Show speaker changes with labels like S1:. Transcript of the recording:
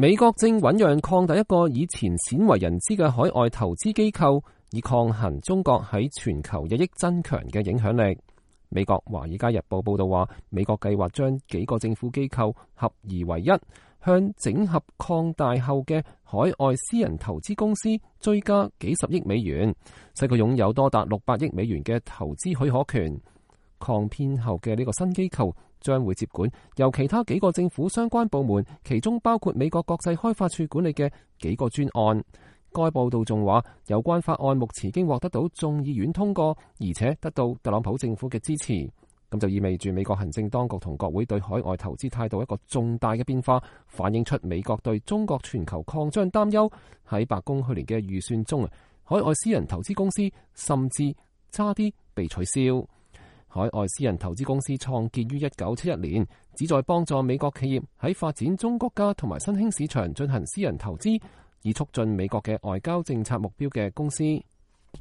S1: 美國正醞釀擴大一個以前鮮為人知嘅海外投資機構，以抗衡中國喺全球日益增強嘅影響力。美國《華爾街日報》報道話，美國計劃將幾個政府機構合而為一，向整合擴大後嘅海外私人投資公司追加幾十億美元，使佢擁有多達600億美元嘅投資許可權。擴編後嘅呢個新機構將會接管由其他幾個政府相關部門，其中包括美國國際開發署管理嘅幾個專案。該報道仲話，有關法案目前已經獲得到眾議院通過，而且得到特朗普政府嘅支持。咁就意味住美國行政當局同國會對海外投資態度一個重大嘅變化，反映出美國對中國全球擴張擔憂。喺白宮去年嘅預算中，海外私人投資公司甚至差啲被取消。海外私人投資公司創建於1971年，旨在幫助美國企業喺發展中國家同埋新興市場進行私人投資，以促進美國嘅外交政策目標嘅公司。